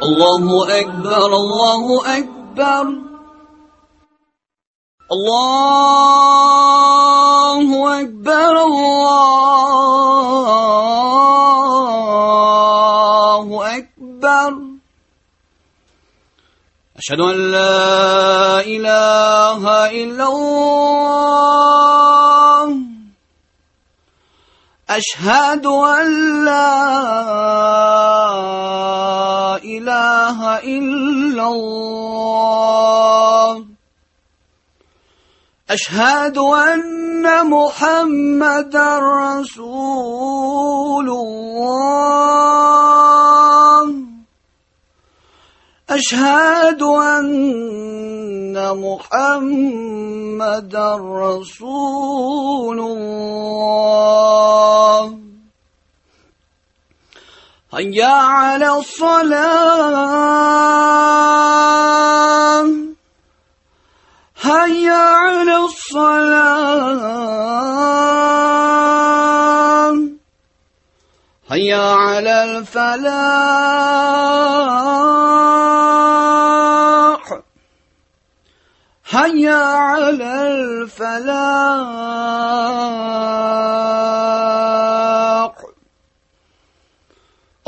الله أكبر الله أكبر الله أكبر الله أكبر أشهد أن لا إله إلا الله أشهد أن لا إله إلا الله أشهد أن محمدا رسول الله أشهد أن محمدا رسول الله هيا على الصلاة هيا على الصلاة هيا على الفلاح هيا على الفلاح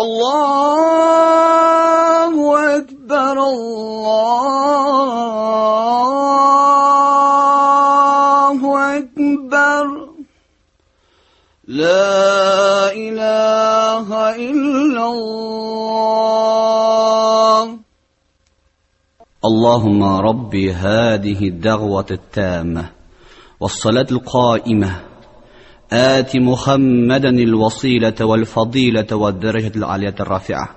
الله أكبر الله أكبر لا إله إلا الله اللهم رب هذه الدعوة التامة والصلاة القائمة آت محمدا الوسيلة والفضيلة والدرجة العالية الرافعة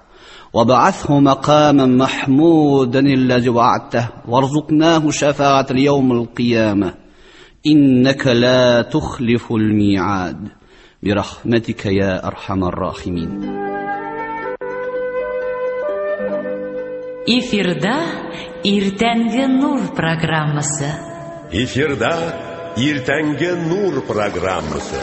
وابعثه مقاما محمودا الذي وعدته وارزقناه شفاعة اليوم القيامة إنك لا تخلف الميعاد برحمتك يا أرحم الراحمين. Эфирда Иртәнге Нур программасы. Эфирда Иртәнге Нур программасы.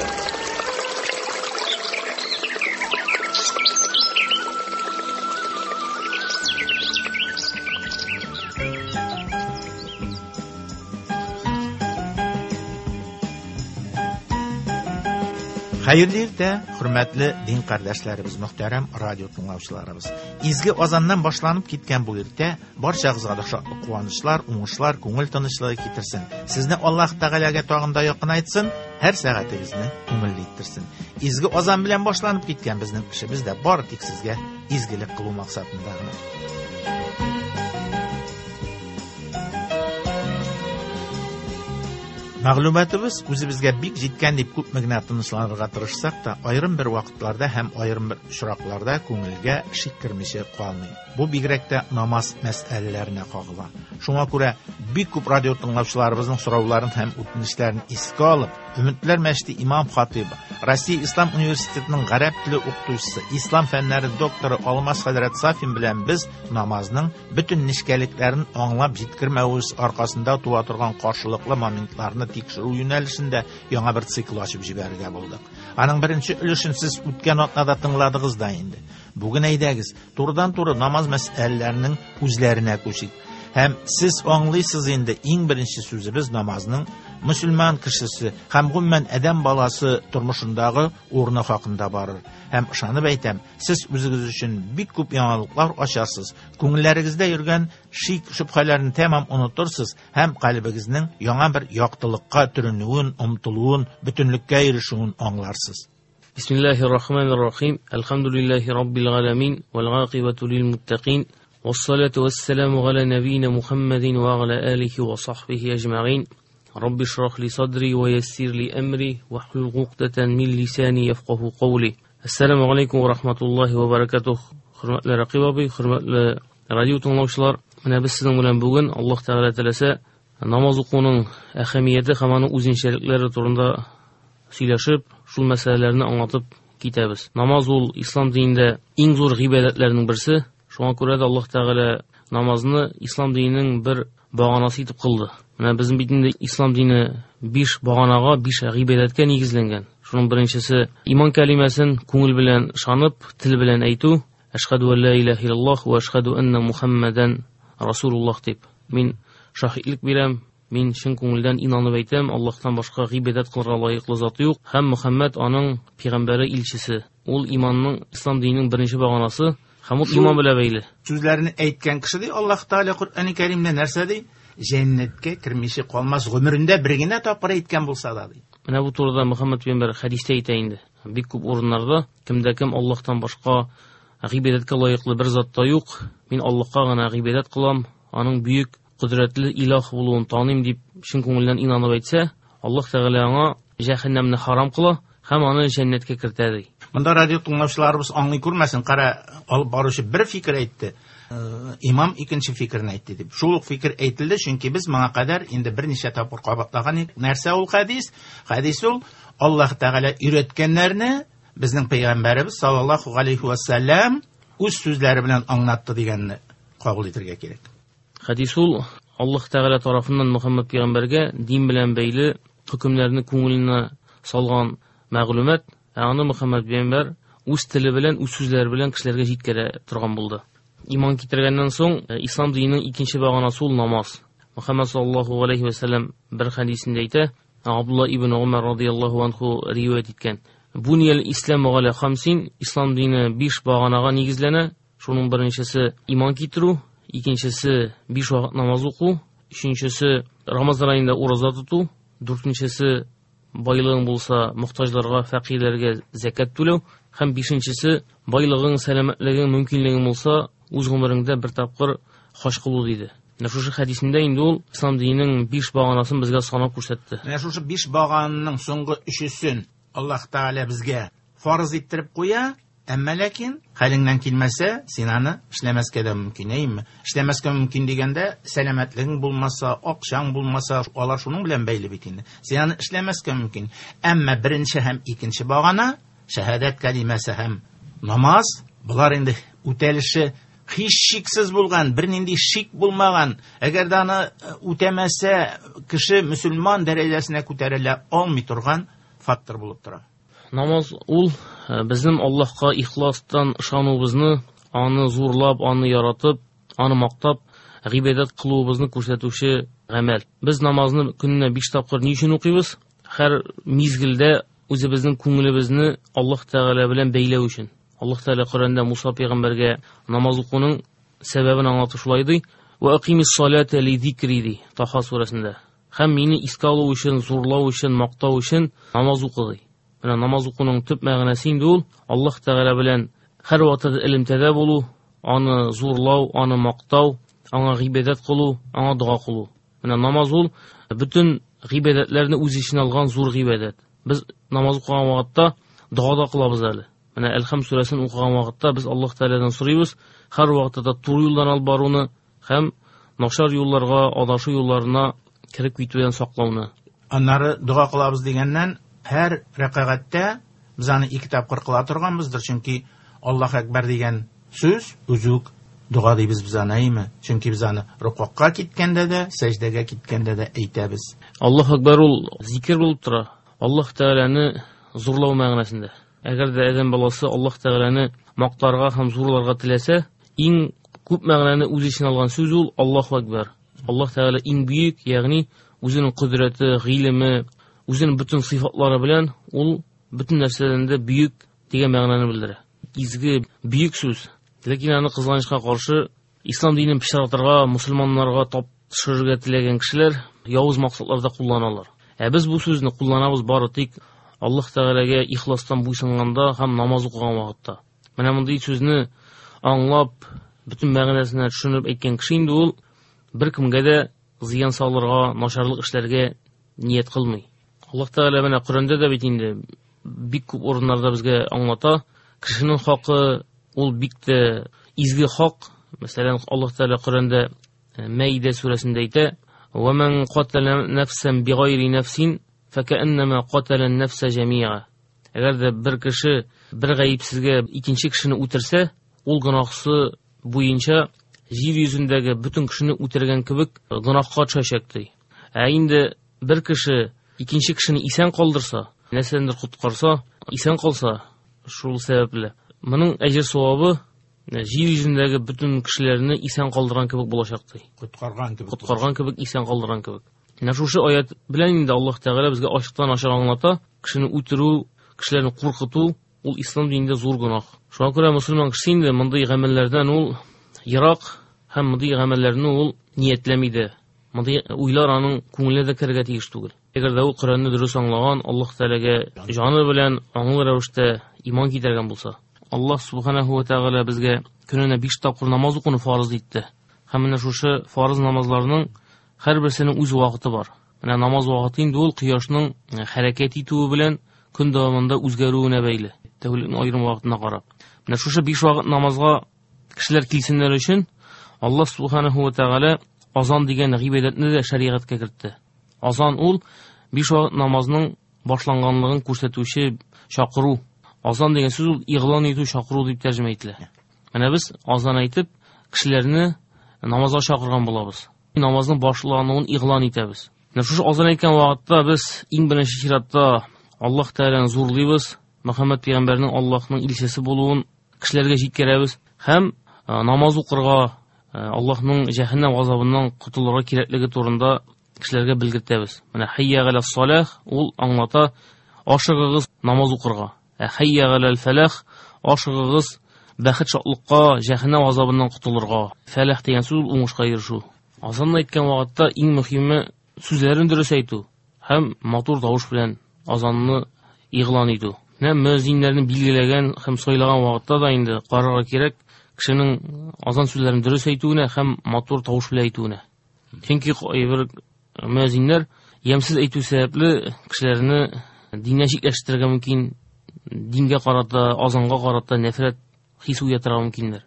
Хәерле иртә, хөрмәтле дин кардәшләребез, мөхтәрәм радио тыңлаучыларыбыз. Изге азаннан башланып киткән бу иртә барчагызга да шатлык, куанычлар, уңышлар, күңел тынычлыгы китерсен. Сезне Аллаһ Тәгаләгә тагын да якынайтсын, һәр сәгатегезне күңелле иттерсен. Изге азан белән башланып киткән безнең эшебез дә бары тик сезгә изгелек кылу максатында гына. Мәгълүматыбыз үзебезгә бик җиткән дип күпме генә тынычланырга тырышсак та, аерым бер вакытларда һәм аерым бер очракларда күңелгә шик кермичә калмый. Бу бигрәк тә намаз мәсьәләләренә кагыла. Шуңа күрә бик күп радио тыңлаучыларыбызның сорауларын һәм үтенечләрен искә алып, Өметләр мәчете имам хатибы, Россия Ислам университетының гарәп теле укытучысы, ислам фәннәре докторы Алмаз хәзрәт Сафин белән без намазның бөтен нечкәлекләрен аңлап җиткермәвебез аркасында туа торган каршылыклы моментларны тикшерү юнәлешендә яңа бер цикл ачып җибәрергә булдык. Аның беренче өлешен сез үткән атнада тыңладыгыз да инде. Бүген әйдәгез, турыдан-туры намаз мәсьәләләренең үзләренә күчик. Һәм сез аңлыйсыз инде, иң беренче сүзебез намазның мөселман кешесе һәм гомумән адәм баласы тормышындагы урыны хакында барыр. Һәм ышанып әйтәм, сез үзегез өчен бик күп яңалыклар ачарсыз, күңелләрегездә йөргән шик шөбһәләрне тәмам онытырсыз һәм калбегезнең яңа бер яктылыкка төренүен, омтылуын, бөтенлеккә ирешүен аңларсыз. Бисмиллахир-рахманир-рахим. Әлхәмдүлилләһи раббил галәмин вәл гакыйбату лил муттакин. والصلاة والسلام على نبينا محمد وعلى آله وصحبه أجمعين. رب اشرح لي صدري ويسر لي أمري واحلل عقدة من لساني يفقه قولي. السلام عليكم ورحمة الله وبركاته. Хөрмәтле Рәкыйп абый, хөрмәтле радио тыңлаучылар, менә без сезнең белән бүген Аллаһ Тәгалә теләсә намаз укуның әһәмияте һәм аның үзенчәлекләре турында сөйләшеп, шул мәсьәләләрне аңлатып китәбез. Намаз ул ислам динендә иң зур гыйбадәтләрнең берсе. Шуңа күрә дә Аллаһ Тәгалә намазны ислам диненең бер баганасы итеп кылды. Менә безнең бит инде ислам дине 5 баганага, 5 гыйбадәткә нигезләнгән. Шуның беренчесе иман кәлимәсен күңел белән ышанып, тел белән әйтү. Әшһәдү ан ла илаһа иллаллаһ ва әшһәдү анна Мухаммадан Расулуллаһ дип. Мин шаһитлек бирәм, мин чын күңелдән инанып әйтәм, Аллаһтан башка гыйбадәт кылырга лаеклы зат юк һәм Мөхәммәд аның пәйгамбәре, илчесе. Ул иманның, ислам диненең беренче баганасы һәм ул иман белән бәйле. Сүзләрне әйткән кеше ди, Аллаһ Тәгалә Коръәни Кәримдә нәрсә ди? Җәннәткә кермичә калмас, гомерендә бер генә тапкыр әйткән булса да ди. Менә бу турыда Мөхәммәд пәйгамбәр хәдистә әйтә инде. Бик күп урыннарда кемдә кем Аллаһтан башка гыйбадәткә лаеклы бер зат та юк, мин Аллаһка гына гыйбадәт кылам, аның бөек кодрәтле илаһ булуын таныйм дип чын күңелдән инанып әйтсә, Аллаһ Тәгалә аңа җәһәннәмне харам кыла һәм аны җәннәткә кертә ди. Монда радио тыңлаучыларыбыз аңлый күрмәсен, кара, алып баручы бер фикер әйтте, имам икенче фикерне әйтте дип. Шул ук фикер әйтелде, чөнки без моңа кадәр инде берничә тапкыр кабатлаган идек. Нәрсә ул хәдис? Хәдис ул Аллаһ Тәгалә өйрәткәннәрне безнең пәйгамбәребез саллаллаһу алейхи ва сәлләм үз сүзләре белән аңлатты дигәнне кабул итәргә кирәк. Хәдис ул Аллаһ Тәгалә тарафыннан Мөхәммәд пәйгамбәргә дин белән бәйле хөкемнәрне күңеленә салган мәгълүмат, ә аны Мөхәммәд пәйгамбәр үз теле белән, үз сүзләре белән кешеләргә җиткерә торган булды. Иман китергәннән соң, ислам диненең икенче баганасы ул намаз. Мөхәммәд саллаллаһу алейхи ва сәлләм бер хәдисендә әйтә, Абдулла ибн Умар радияллаһу анху риваять иткән. Буниял исламу галя хамсин, ислам дине 5 баганага нигезләнә. Шуның беренчесе иман китерү, икенчесе 5 вакыт намаз уку, өченчесе Рамазан аенда ураза тоту, дүртенчесе байлыгың булса мохтаҗларга, фәкыйрьләргә зәкят түләү һәм бишенчесе байлыгың, сәламәтлегең, мөмкинлегең булса үз гомереңдә бер тапкыр хаҗ кылу диде. Менә шушы хәдисендә инде ул ислам диненең 5 баганасын безгә санап күрсәтте. Менә шушы 5 багананың соңгы өчесен Аллаһ Тәгалә безгә фарыз иттереп куя, әмма ләкин хәлеңнән килмәсә, син аны эшләмәскә дә мөмкин, әйеме? Эшләмәскә мөмкин дигәндә, сәламәтлегең булмаса, акчаң булмаса, алар шуның белән бәйле бит инде. Син аны эшләмәскә мөмкин. Әмма беренче һәм икенче багана, шәһадәт кәлимәсе һәм намаз, болар инде үтәлеше һичшиксез булган, бернинди шик булмаган. Әгәр дә аны үтәмәсә, кеше мөселман дәрәҗәсенә күтәрелә алмый торган фактор булып тора. Намаз ул безнең Аллаһка ихластан ышануыбызны, аны зурлап, аны яратып, аны мактап, гыйбадәт кылуыбызны күрсәтүче гамәл. Без намазны көненә 5 тапкыр ни өчен укыйбыз? Һәр мизгелдә үзебезнең күңелебезне Аллаһ Тәгалә белән бәйләү өчен. Аллаһ Тәгалә Коръәндә Муса пәйгамбәргә намаз укуның сәбәбен аңлатып шулай ди: "Ва акимис салата ли зикри" ди Таха сүрәсендә. Һәм мине искә алу өчен, зурлау өчен, мактау өчен намаз укы ди. Менә намаз укуның төп мәгънәсе инде ул Аллаһ Тәгалә белән һәр вакытта элемтәдә булу, аны зурлау, аны мактау, аңа гыйбадәт кылу, аңа дога кылу. Менә намаз ул бөтен гыйбадәтләрне үз эченә алган зур гыйбадәт. Без намаз укыган вакытта дога да кылабыз әле. Менә Әлхәм сүрәсен укыган вакытта без Аллаһ Тәгаләдән сорыйбыз, һәр вакытта да туры юлдан алып баруны һәм начар юлларга, адашу юлларына кереп китүдән саклауны. Аннары дога кылабыз дигәннән, һәр рәкәгатьтә без аны 2 тапкыр кыла торганбыздыр, чөнки Аллаһ Әкбәр дигән сүз үзе үк дога дибез без аны, әйме? Чөнки без аны рукугка киткәндә дә, сәҗдәгә киткәндә дә әйтәбез. Аллаһ Әкбәр ул зикер булып тора. Аллаһ Тәгаләне зурлау мәгънәсендә. Әгәр дә адәм баласы Аллаһ Тәгаләне мактарга һәм зурларга теләсә, иң күп мәгънәне үз эченә алган сүз ул Аллаһу Әкбәр. Аллаһ Тәгалә иң бөек, ягъни үзенең кодрәте, гыйлеме, үзенең бөтен сыйфатлары белән ул бөтен нәрсәдән дә бөек дигән мәгънәне белдерә. Изге, бөек сүз. Ләкин аны кызганычка каршы ислам динен пычратырга, мусульманнарга тап төшерергә теләгән кешеләр явыз максатларда кулланалар. Ә без бу сүзне кулланабыз бары тик Аллаһ Тәгаләгә ихластан буйсынганда һәм намаз укыган вакытта. Менә мондый сүзне аңлап, бөтен мәгънәсенә төшенеп әйткән кеше инде ул беркемгә дә зыян салырга, начарлык эшләргә ният кылмый. Аллаһ Тәгалә менә Коръәндә дә бит инде бик күп урыннарда безгә аңлата, кешенең хакы ул бик тә изге хак. Мәсәлән, Аллаһ Тәгалә Коръәндә Мәидә сүрәсендә әйтә: "Ва ман катала нафсан бигайри нафсин факааннама катала нафса җамиа". Әгәр дә бер кеше бер гаепсезгә икенче кешене үтерсә, ул гөнаһсы буенча җир йөзендәге бөтен кешене үтергән кебек гөнаһка төшәчәк ди. Ә инде бер кеше икенче кешене исән калдырса, нәрсәдәндер коткарса, исән калса, шул сәбәпле моның әҗер савабы Җир йөзендәге бөтен кешеләрне исән калдырган кебек булачак ди. Коткарган кебек. Коткарган кебек, исән калдырган кебек. Менә шушы аят белән инде Аллаһ Тәгалә безгә ачыктан-ачык аңлата, кешене үтерү, кешеләрне куркыту ул ислам динендә зур гөнаһ. Шуңа күрә мөселман кеше инде мондый гамәлләрдән ул ерак һәм мондый гамәлләрне ул ниятләми дә. Мондый уйлар аның күңеленә дә керергә тиеш түгел. Әгәр дә ул Коръәнне дөрес аңлаган, Аллаһ Тәгаләгә җаны белән аңлы рәвештә иман китергән булса, Аллаһ субханаһу ва тәгалә безгә көненә 5 тапкыр намаз укуны фарыз итте. Һәм менә шушы фарыз намазларның һәрберсенең үз вакыты бар. Менә намаз вакыты инде ул кояшның хәрәкәт итүе белән көн дәвамында үзгәрүенә бәйле. Тәүлекнең аерым вакытына карап. Менә шушы 5 вакыт намазга кешеләр килсеннәр өчен Аллаһ субханаһу ва тәгалә азан дигән гыйбадәтне дә шәригатькә кертте. Азан ул 5 вакыт намазның башланганлыгын күрсәтүче чакыру. Азан дигән сүз ул игълан итү, чакыру дип тәрҗемә ителә. Менә без азан әйтеп кешеләрне намазга чакырган булабыз. Намазның башлануын игълан итәбез. Менә шушы азан әйткән вакытта без иң беренче чиратта Аллаһ Тәгаләне зурлыйбыз, Мөхәммәд пәйгамбәрнең Аллаһның илчесе булуын кешеләргә җиткерәбез һәм намаз укырга, Аллаһның җәһәннәм газабыннан котылырга кирәклеге турында кешеләргә белгертәбез. Менә хәйя галәс салах ул аңлата ашыгыгыз намаз укырга. Ә хәйя галәл фәлах ашыгыгыз бәхет шатлыкка, җәһәннәм газабыннан котылырга. Фәлах дигән сүз ул уңышка ирешү. Азанны әйткән вакытта иң мөһиме сүзләрен дөрес әйтү һәм матур тавыш белән азанны игълан итү. Менә мөәззиннәрне билгеләгән һәм сайлаган вакытта да инде карарга кирәк кешенең азан сүзләрен дөрес әйтүенә һәм матур тавыш белән әйтүенә. Чөнки кайбер мөәззиннәр ямьсез әйтү сәбәпле кешеләрне диннән читләштерергә мөмкин, дингә карата, азанга карата нәфрәт хис уятырга мөмкиннәр.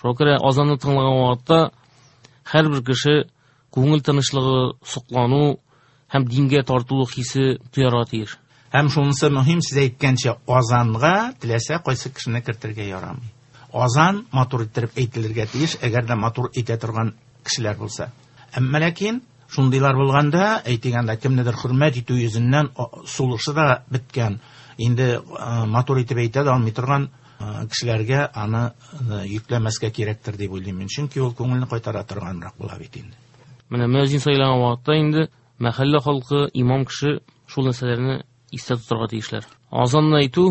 Шуңа күрә азанны тыңлаган вакытта һәрбер кеше күңел тынычлыгы, соклану һәм дингә тартылу хисе тоярга тиеш. Һәм шунысы мөһим, сез әйткәнчә, азанга теләсә кайсы кешене кертергә ярамый. Азан матур иттереп әйтелергә тиеш, әгәр дә матур әйтә торган кешеләр булса. Әмма ләкин шундыйлар булганда, әйтик анда кемнедер хөрмәт итү йөзеннән сулышы да беткән, инде матур итеп әйтә дә алмый торган кешеләргә аны йөкләмәскә кирәктер дип уйлыйм мин. Чөнки ул күңелне кайтара торганрак була бит инде. Менә мөәзин сайлаган вакытта инде мәхәллә халкы, имам кеше шул нәрсәләрне истә тотарга тиешләр. Азанны әйтү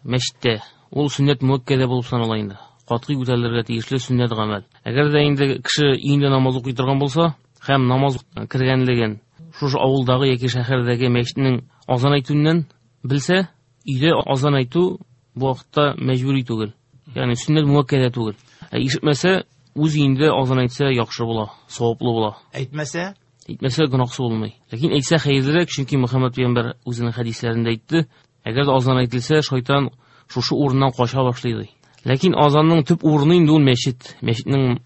мәчеттә ул сөннәт муәккәдә булып санала инде. Катгый үтәлергә тиешле сөннәт гамәл. Әгәр дә инде кеше өендә намаз укый торган булса һәм намаз кергәнлеген шушы авылдагы яки шәһәрдәге мәчетнең азан әйтүеннән белсә, өйдә азан әйтү бу вакытта мәҗбүри түгел. Ягъни сөннәт муәккәдә түгел. Ә ишетмәсә, үз өендә азан әйтсә яхшы була, саваплы була. Әйтмәсә? Әйтмәсә гөнаһсы булмый. Ләкин әйтсә хәерлерәк, чөнки Мөхәммәд пәйгамбәр үзенең хәдисләрендә әйтте, әгәр дә азан әйтелсә, шайтан шушы урыннан кача башлый ди. Ләкин азанның төп урыны инде ул мәчет, мәчетнең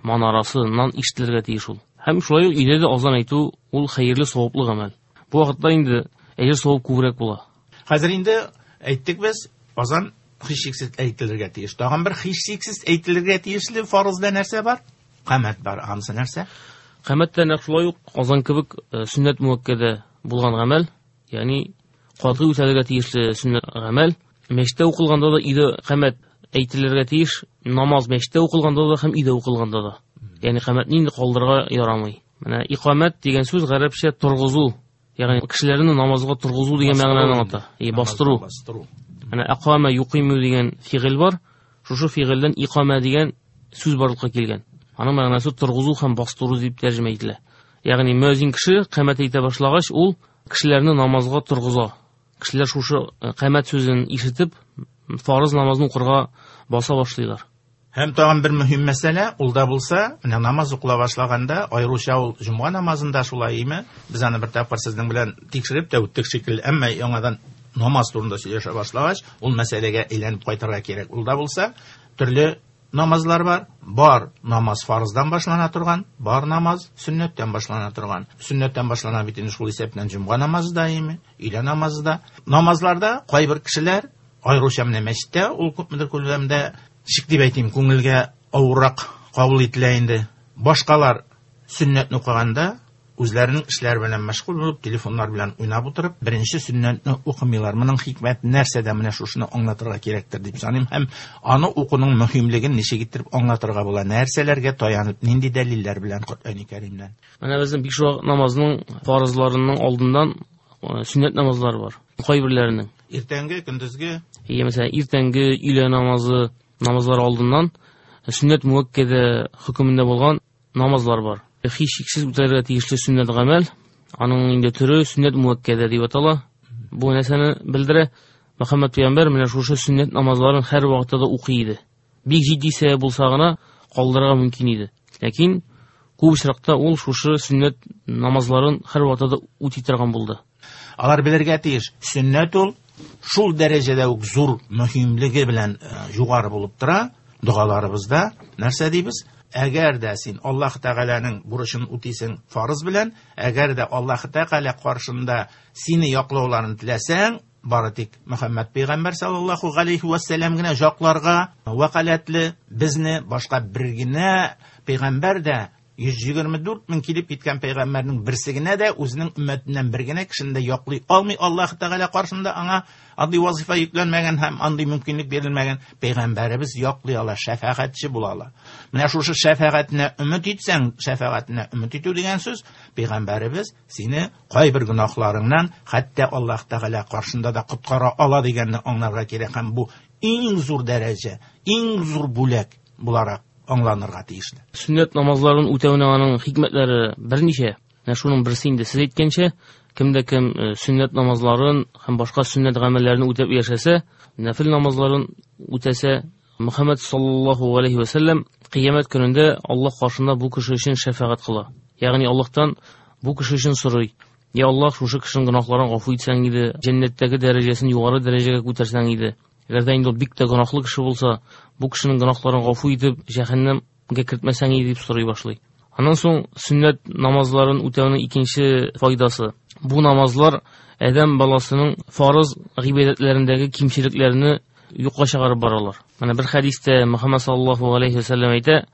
манарасыннан ишетелергә тиеш ул. Һәм шулай ук өйдә дә азан әйтү ул хәерле, саваплы гамәл. Бу вакытта инде әҗер савап күбрәк була. Хәзер инде әйттек без, азан һичшиксез әйтелергә тиеш. Тагын бер һичшиксез әйтелергә тиешле фарызда нәрсә бар? Камәт бар. Анысы нәрсә? Камәт тә нәкъ шулай ук азан кебек сөннәт муәккәдә булган гамәл, ягъни катгый үтәлергә тиешле сөннәт гамәл. Мәчеттә укылганда да өйдә камәт әйтелергә тиеш, намаз мәчеттә укылганда да һәм өйдә укылганда да. Ягъни камәтне инде калдырырга ярамый. Менә икамәт дигән сүз гарәпчә торгызу, ягъни кешеләрне намазга торгызу дигән мәгънәне аңлата. Бастыру. Бастыру. Менә акама юкиму дигән фигыль бар. Шушы фигыльдән икама дигән сүз барлыкка килгән. Аның мәгънәсе торгызу һәм бастыру дип тәрҗемә ителә. Ягъни мөәзин кеше камәт әйтә башлагач, ул кешеләрне намазга торгыза. Кешеләр шушы камәт сүзен ишетеп, фарыз намазын укырга баса башлыйлар. Һәм тагын бер мөһим мәсьәлә, ул да булса, менә намаз укыла башлаганда, аеруча ул җомга намазында шулай име? Без аны бер тапкыр сезнең белән тикшереп тә үттек шикелле, әмма яңадан намаз турында сөйләшә башлагач, ул мәсьәләгә әйләнеп кайтырга кирәк. Ул да булса, төрле намазлар бар. Бар намаз фарыздан башлана торган, бар намаз сөннәттән башлана торган. Сөннәттән башлана бит инде шул исәптән җомга намазы да име, өйлә намазы да. Намазларда кайбер кешеләр, аеруча менә мәчеттә, ул күпмедер күләмдә, ничек дип әйтим, күңелгә авыррак кабул ителә инде. Башкалар сөннәтне укыганда Үзләренең эшләре белән мәшгуль булып, телефоннар белән уйнап утырып, беренче сөннәтне укымыйлар. Моның хикмәте нәрсәдә, менә шушыны аңлатырга кирәктер дип саныйм һәм аны укуның мөһимлеген ничек иттереп аңлатырга була, нәрсәләргә таянып, нинди дәлилләр белән Коръәни Кәримнән. Менә безнең биш вакыт намазның фарызларының алдыннан сөннәт намазлары бар. Кайберләренең. Иртәнге, көндезге, Иә, мәсәлән, иртәнге өйлә намазы намазлары алдыннан сөннәт муәккәдә хөкемендә булган намазлар бар. Һичшиксез үтәргә тиешле сөннәт гамәл, аның инде төре сөннәт муәккәдә дип атала. Бу нәрсәне белдерә? Мөхәммәд пәйгамбәр менә шушы сөннәт намазларын һәр вакытта да укый иде. Бик җитди сәбәп булса гына калдырырга мөмкин иде. Ләкин күп очракта ул шушы сөннәт намазларын һәр вакытта да үти торган булды. Алар белергә тиеш, сөннәт ул шул дәрәҗәдә үк зур мөһимлеге белән югары булып тора. Догаларыбызда нәрсә дибез? Әгәр дә син Аллаһ Тәгаләнең бурычын үтисең фарыз белән, әгәр дә Аллаһ Тәгалә каршында сине яклауларын теләсәң, бары тик Мөхәммәд пәйгамбәр саллаллаһу галәйһи вә сәлләм генә якларга вәкаләтле, безне башка бер генә пәйгамбәр дә 124 мең килеп киткән пәйгамбәрнең берсе генә дә үзенең өммәтеннән бер генә кешене дә яклый алмый. Аллаһ Тәгалә каршында аңа андый вазифа йөкләнмәгән һәм андый мөмкинлек бирелмәгән. Пәйгамбәребез яклый ала, шәфәгатьче була ала. Менә шушы шәфәгатенә өмет итсәң, шәфәгатенә өмет итү дигән сүз, пәйгамбәребез сине кайбер гөнаһларыңнан хәтта Аллаһ Тәгалә каршында да коткара ала дигәнне аңларга кирәк. Һәм бу иң зур дәрәҗә, иң зур бүләк буларак аңланырга тиешле. Сөннәт намазларын үтәүнең аның хикмәтләре берничә. Менә шуның берсе инде сез әйткәнчә, кемдә кем сөннәт намазларын һәм башка сөннәт гамәлләрен үтәп яшәсә, нәфил намазларын үтәсә, Мөхәммәд саллаллаһу галәйһи вә сәлләм кыямәт көнендә Аллаһ каршында бу кеше өчен шәфәгать кыла. Ягъни Аллаһтан бу кеше өчен сорый. Я Аллаһ, шушы кешенең гөнаһларын гафу итсәң иде, җәннәттәге дәрәҗәсен югары дәрәҗәгә күтәрсәң иде. Әгәр дә инде ул бик тә гөнаһлы кеше булса, бу кешенең гөнаһларын гафу итеп, җәһәннәмгә кертмәсәң иде дип сорый башлый. Аннан соң сөннәт намазларын үтәүнең икенче файдасы. Бу намазлар адәм баласының фарыз гыйбадәтләрендәге кимчелекләрне юкка чыгарып баралар. Менә бер хәдистә Мөхәммәд саллаллаһу галәйһи ва сәлләм әйтә,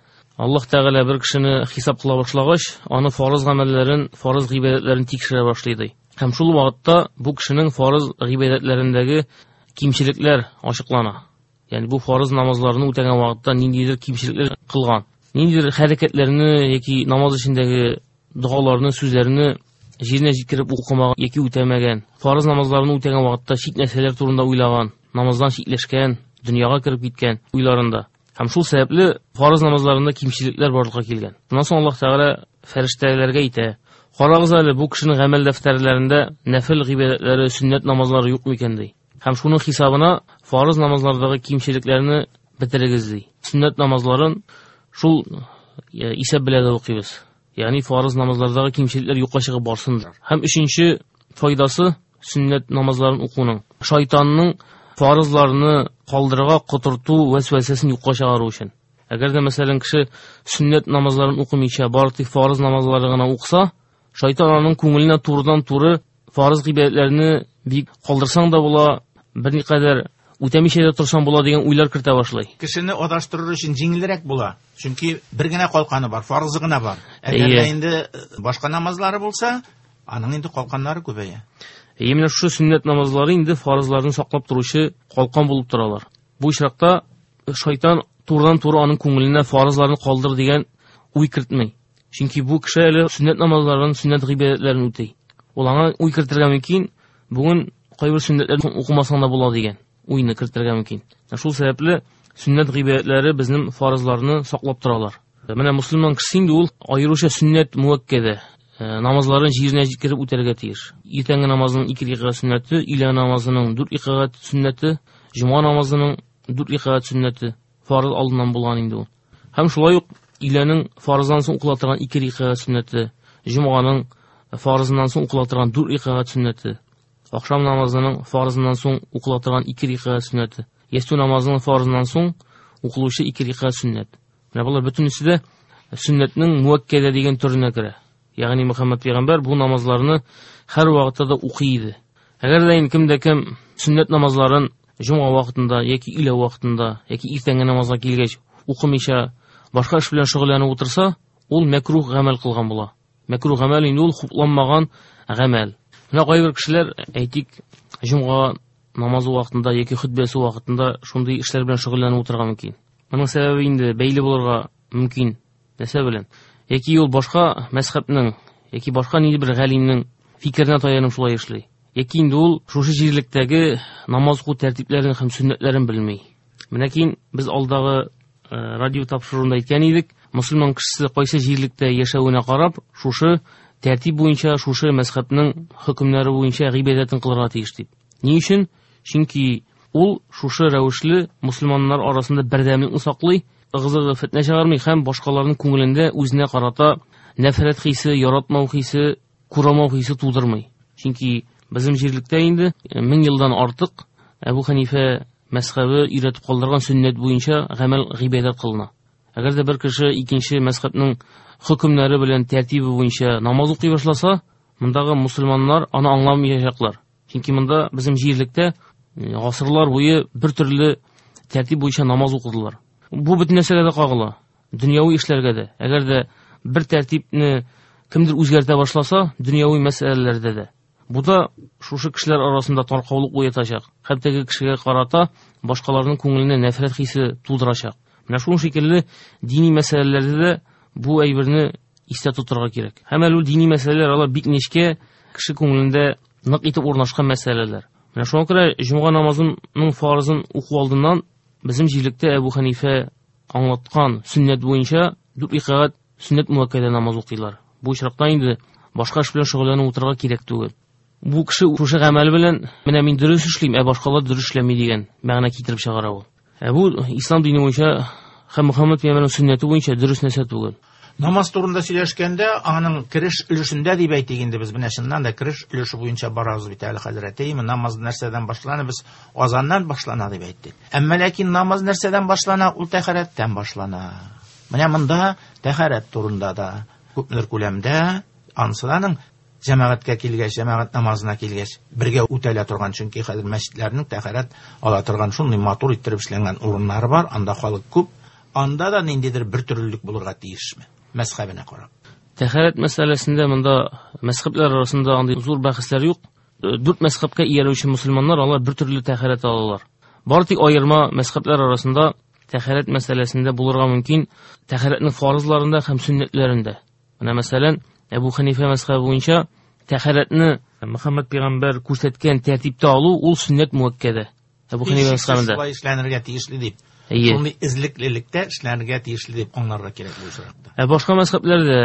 Аллаһ Тәгалә бер кешене хисап кыла башлагач, аны фарыз гамәлләрен, фарыз гыйбадәтләрен тикшерә башлый ди. Һәм шул вакытта бу кешенең фарыз гыйбадәтләрендәге кимчелекләр ачыклана. Ягъни бу фарыз намазларны үтәгән вакытта ниндидер кимчелекләр кылган, ниндидер хәрәкәтләрне яки намаз эчендәге догаларны, сүзләрне җиренә җиткереп укымаган яки үтәмәгән, фарыз намазларны үтәгән вакытта чит нәрсәләр турында уйлаган, намаздан читләшкән, дөньяга кереп киткән уйларында. Һәм шул сәбәпле фарыз намазларында кимчелекләр барлыкка килгән. Шуннан соң Аллаһ Тәгалә фәрештәләргә әйтә: Карагыз әле, бу кешенең гамәл дәфтәрләрендә нәфил гыйбадәтләре, сөннәт намазлары юк микән ди. Һәм шуның хисабына фарыз намазлардагы кимчелекләрне бетерегез ди. Сөннәт намазларын шул исәп белән дә укыйбыз. Ягъни фарыз намазлардагы кимчелекләр юкка чыгып барсын. Һәм өченче файдасы сөннәт намазларын укуның. Шайтанның фарызларны калдырырга котырту вәсвәсәсен юкка чыгару өчен. Әгәр дә мәсәлән кеше сөннәт намазларын укымыйча бары тик фарыз намазлары гына укыса, шайтан аның күңеленә турыдан-туры фарыз гыйбадәтләрне бик калдырсаң да була, берникадәр үтәмичә дә торсаң була дигән уйлар кертә башлый. Кешене адаштырыр өчен җиңелрәк була. Чөнки бер генә калканы бар, фарызы гына бар. Әгәр дә инде башка намазлары булса, аның инде калканнары күбәя. Әйе, менә шушы сөннәт намазлары инде фарызларны саклап торучы калкан булып торалар. Бу очракта шайтан турыдан-туры аның күңеленә фарызларны калдыр дигән уй кертми. Чөнки бу кеше әле сөннәт намазларын, сөннәт гыйбадәтләрен үти. Ул аңа уй кертергә мөмкин, бүген кайбер сөннәтләрне укымасаң да була дигән уйны кертергә мөмкин. Шул сәбәпле сөннәт гыйбадәтләре безнең фарызларны саклап торалар. Менә мөселман кеше инде ул аеруча сөннәт муәккәдә намазларын җиренә җиткереп үтәргә тиеш. Иртәнге намазның 2 рәкәгать сөннәте, өйлә намазының 4 рәкәгать сөннәте, җомга намазының 4 рәкәгать сөннәте фарыз алдыннан булган инде ул. Һәм шулай ук өйләнең фарыздан соң укыла торган 2 рәкәгать сөннәте, җомганың фарызыннан соң укыла торган 4 рәкәгать сөннәте, ахшам намазының фарызыннан соң укыла торган 2 рәкәгать сөннәте, ястү намазының фарызыннан соң укылучы 2 рәкәгать сөннәт. Менә болар бөтенесе дә сөннәтнең муәккәдә дигән төренә керә. Ягъни Мөхәммәд пәйгамбәр бу намазларны һәр вакытта да укый иде. Әгәр дә инде кемдә кем сөннәт намазларын җомга вакытында яки өйлә вакытында яки иртәнге намазга килгәч укымыйча башка эш белән шөгыльләнеп утырса, ул мәкрух гамәл кылган була. Мәкруһ гамәл инде ул хупланмаган гамәл. Менә кайбер кешеләр, әйтик, җомга намазы вакытында яки хөтбәсе вакытында шундый эшләр белән шөгыльләнеп утырырга мөмкин. Моның сәбәбе инде бәйле булырга мөмкин. Нәрсә белән? Яки ул башка мәзһәбнең, яки башка нинди бер галимнең фикеренә таянып шулай эшли. Яки инде ул шушы җирлектәге намаз уку тәртипләрен һәм сөннәтләрен белми. Менә кин без алдагы радио тапшыруында әйткән идек, мөселман кешесе кайсы җирлектә яшәвенә карап, шушы тәртип буенча, шушы мәзһәбнең хөкемнәре буенча гыйбадәтен кылырга тиеш дип. Ни өчен? Чөнки ул шушы рәвешле мөселманнар арасында бердәмлекне саклый, ыгы-зыгы фетнә чыгармый һәм башкаларның күңелендә үзенә карата нәфрәт хисе, яратмау хисе, күралмау хисе тудырмый. Чөнки безнең җирлектә инде 1000 елдан артык Әбу Хәнифә мәзһәбе өйрәтеп калдырган сөннәт буенча гамәл гыйбадәт кылына. Әгәр дә бер кеше икенче мәзһәбнең хөкемнәре белән тәртибе буенча намаз укый башласа, мондагы мусульманнар аны аңламаячаклар. Чөнки монда безнең җирлектә гасырлар буе бер төрле тәртип буенча намаз укыдылар. Бу бөтен нәрсәгә дә кагыла, дөньяви эшләргә дә. Әгәр дә бер тәртипне кемдер үзгәртә башласа, дөньяви мәсьәләләрдә дә. Бу да шушы кешеләр арасында таркаулык уятачак. Һәм теге кешегә карата башкаларның күңеленә нәфрәт хисе тудырачак. Менә шуның шикелле дини мәсьәләләрдә дә бу әйберне истә тотарга кирәк. Һәм әле ул дини мәсьәләләр алар бик нечкә, кеше күңелендә нык итеп урнашкан мәсьәләләр. Менә шуңа күрә җомга намазының фарызын уку алдыннан безнең җирлектә Әбу Хәнифә аңлаткан сөннәт буенча 4 рәкәгать сөннәт муәккәдә намаз укыйлар. Бу очракта инде башка эш белән шөгыльләнеп утырырга кирәк түгел. Бу кеше шушы гамәл белән менә мин дөрес эшлим, ә башкалар дөрес эшләми дигән мәгънә китереп чыгара ул. Ә бу ислам дине буенча һәм Мөхәммәд пәйгамбәрнең сөннәте буенча дөрес нәрсә түгел. Намаз турында сөйләшкәндә, аның кереш өлешендә дип әйтик инде без менә чыннан да кереш өлеше буенча барабыз бит әле хәзрәт. Әйеме, намаз нәрсәдән башлана? Без азаннан башлана дип әйттек. Әмма ләкин намаз нәрсәдән башлана? Ул тәһарәттән башлана. Менә монда тәһарәт турында да күпмедер күләмдә анысы да аның җәмәгатькә килгәч, җәмәгать намазына килгәч, бергә үтәлә торган, чөнки хәзер мәчетләрнең тәһарәт ала торган шундый матур иттереп эшләнгән урыннары бар, анда халык күп, анда да ниндидер бер төрлелек булырга тиешме? Мәзһәбенә карап. Тәһарәт мәсьәләсендә монда мәзһәбләр арасында андый зур бәхәсләр юк. 4 мәзһәбкә иярүче мөселманнар алар бер төрле тәһарәт алалар. Бары тик аерма мәзһәбләр арасында тәһарәт мәсьәләсендә булырга мөмкин, тәһарәтнең фарызларында һәм сөннәтләрендә. Менә мәсәлән, Әбу Хәнифә мәзһәбе буенча тәһарәтне Мөхәммәд пәйгамбәр күрсәткән тәртиптә алу ул сөннәт муәккәдә. Әбу Хәнифә мәзһәбендә. Шулай эшләнергә тиешле дип. Әйе. Шундый эзлеклелектә эшләнергә тиешле дип аңларга кирәк бу очракта. Ә башка мәзһәбләрдә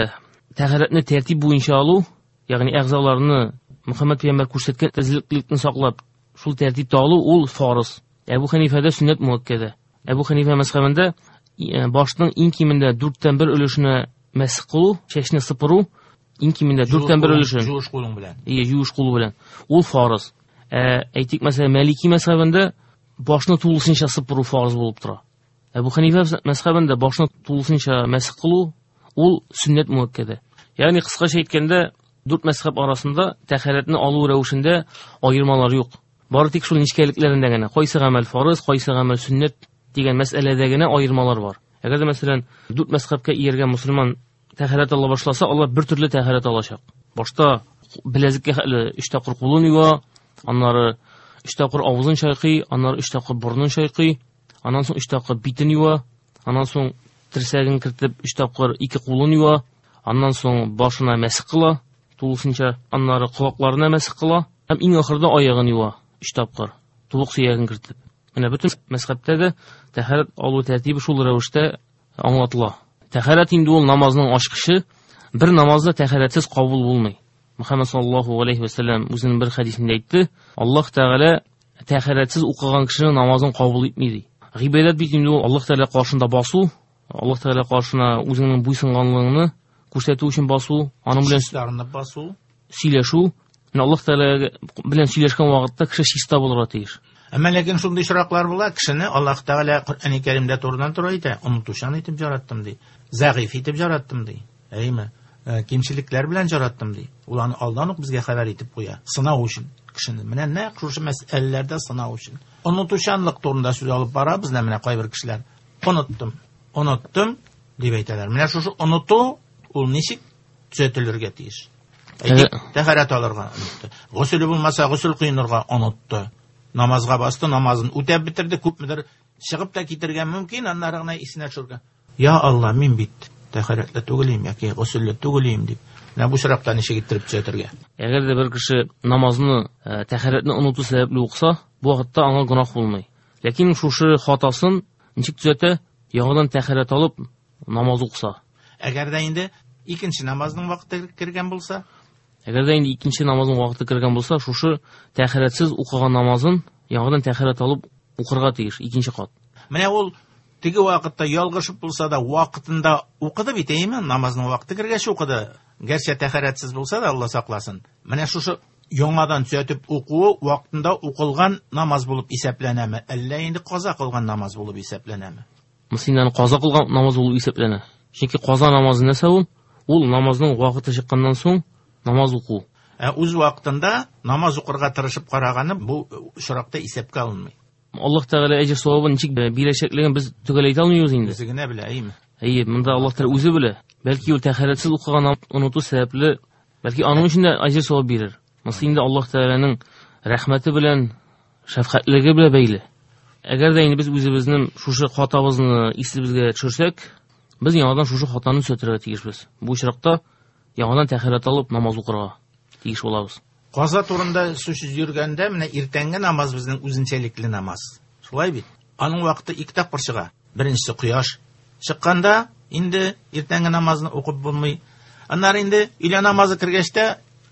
тәһарәтне тәртип буенча алу, ягъни әгъзаларны Мөхәммәд пәйгамбәр күрсәткән эзлеклелекне саклап, шул тәртиптә алу ул фарыз. Әбу Хәнифәдә сөннәт муәккәдә. Әбу Хәнифә мәзһәбендә башның иң кимендә 1/4 өлешенә мәсх кылу, чәчне сыпыру, иң кимендә 1/4 өлешен. Юеш кулың белән. Ие, юеш кулы белән. Ул фарыз. Әйтик, мәсәлән, Малики мәзһәбендә башны тулысынча сыпыру фарыз булып тора. Әбу Хәнифә мәзһәбендә башны тулысынча мәсх кылу ул сөннәт муәккәдә. Ягъни кыскача әйткәндә, 4 мәзһәб арасында тәһарәтне алу рәвешендә аермалар юк. Бары тик шул нечкәлекләрендә генә, кайсы гамәл фарыз, кайсы гамәл сөннәт дигән мәсьәләдә генә аермалар бар. Әгәр дә мәсәлән, 4 мәзһәбкә ияргән мөселман тәһарәт ала башласа, алар бер төрле тәһарәт алачак. Башта беләзеккә хәтле 3 тапкыр кулын юа, аннары 3 тапкыр авызын чайкый, аннары 3 тапкыр борынын чайкый, аннан соң 3 тапкыр битен юа, аннан соң терсәген кертеп 3 тапкыр 2 кулын юа, аннан соң башына мәсх кыла, тулысынча, аннары колакларына мәсх кыла һәм иң ахырда аягын юа 3 тапкыр, тулык сөяген кертеп. Менә бөтен мәзһәбтә дә тәһарәт алу тәртибе шул рәвештә аңлатыла. Тәһарәт инде ул намазның ачкычы, бер намазда тәһарәтсез кабул булмый. Мөхәммәд саллаллаһу алейһи ва сәлләм үзенең бер хәдисендә әйтте, Аллаһ Тәгалә тәһарәтсез укыган кешенең намазын кабул итми ди. Гыйбадәт бит инде ул Аллаһ Тәгалә каршында басу, Аллаһ Тәгалә каршына үзеңнең буйсынганлыгыңны күрсәтү өчен басу, аның белән чистарынып басу, сөйләшү. Менә Аллаһ Тәгалә белән сөйләшкән вакытта кеше чиста булырга тиеш. Әмма ләкин шундый очраклар була, кешене Аллаһ Тәгалә Коръәни Кәримдә турыдан-туры әйтә, онытучан итеп яраттым ди, зәгыйф итеп яраттым ди, әйеме? Кимчелекләр белән яраттым ди. Ул аны алдан ук безгә хәбәр итеп куя, сынау өчен кешене. Менә нәкъ шушы мәсьәләләрдә сынау өчен. Онытучанлык турында сүз алып барабыз, менә кайбер кешеләр оныттым, оныттым дип әйтәләр. Менә шушы оныту ул ничек төзәтелергә тиеш? Әйтик, тәһарәт алырга онытты. Госел булмаса, госел коенырга онытты. Намазга басты, намазын үтәп бетерде, күпмедер чыгып та китергә мөмкин, аннары гына исенә төшергән. Я Алла, мин бит тәһарәтле түгел яки госелле түгел дип. Менә бу очракта ничек иттереп төзәтергә? Әгәр дә бер кеше намазны, тәһарәтне оныту сәбәпле укыса, бу вакытта аңа гөнаһ булмый. Ләкин шушы хатасын ничек төзәтә? Яңадан тәһарәт алып намаз укыса. Әгәр дә инде икенче намазның вакыты кергән булса? Әгәр дә инде икенче намазның вакыты кергән булса, шушы тәһарәтсез укыган намазын яңадан тәһарәт алып укырга тиеш икенче кат. Менә ул теге вакытта ялгышып булса да вакытында укыды бит, әйеме? Намазның вакыты кергәч укыды. Гәрчә тәһарәтсез булса да, Алла сакласын. Менә шушы яңадан төзәтеп укуы вакытында укылган намаз булып исәпләнәме, әллә инде каза кылган намаз булып исәпләнәме? Мөслимнәрнең каза кылган намаз булып исәпләнә. Чөнки каза намазы нәрсә ул? Ул намазның вакыты чыкканнан соң намаз уку. Ә үз вакытында намаз укырга тырышып караганы бу очракта исәпкә алынмый. Аллаһ Тәгалә әҗер савабын ничек бирәчәклеген без төгәл әйтә алмыйбыз инде. Үзе генә белә, әйеме? Әйе, монда Аллаһ Тәгалә үзе белә. Бәлки ул тәһарәтсез укыган оныту сәбәпле, бәлки аның өчен дә әҗер савап бирер. Монысы инде Аллаһ Тәгаләнең рәхмәте белән, шәфкатьлеге белән бәйле. Әгәр дә инде без үзебезнең шушы хатабызны исебезгә төшерсәк, без яңадан шушы хатаны төзәтергә тиешбез. Бу очракта яңадан тәһарәт алып намаз укырга тиеш булабыз. Каза турында сүз йөргәндә, менә иртәнге намаз безнең үзенчәлекле намаз. Шулай бит? Аның вакыты ике тапкыр чыга. Беренчесе кояш чыкканда инде иртәнге намазны укып булмый. Аннары инде өйлә намазы кергәч тә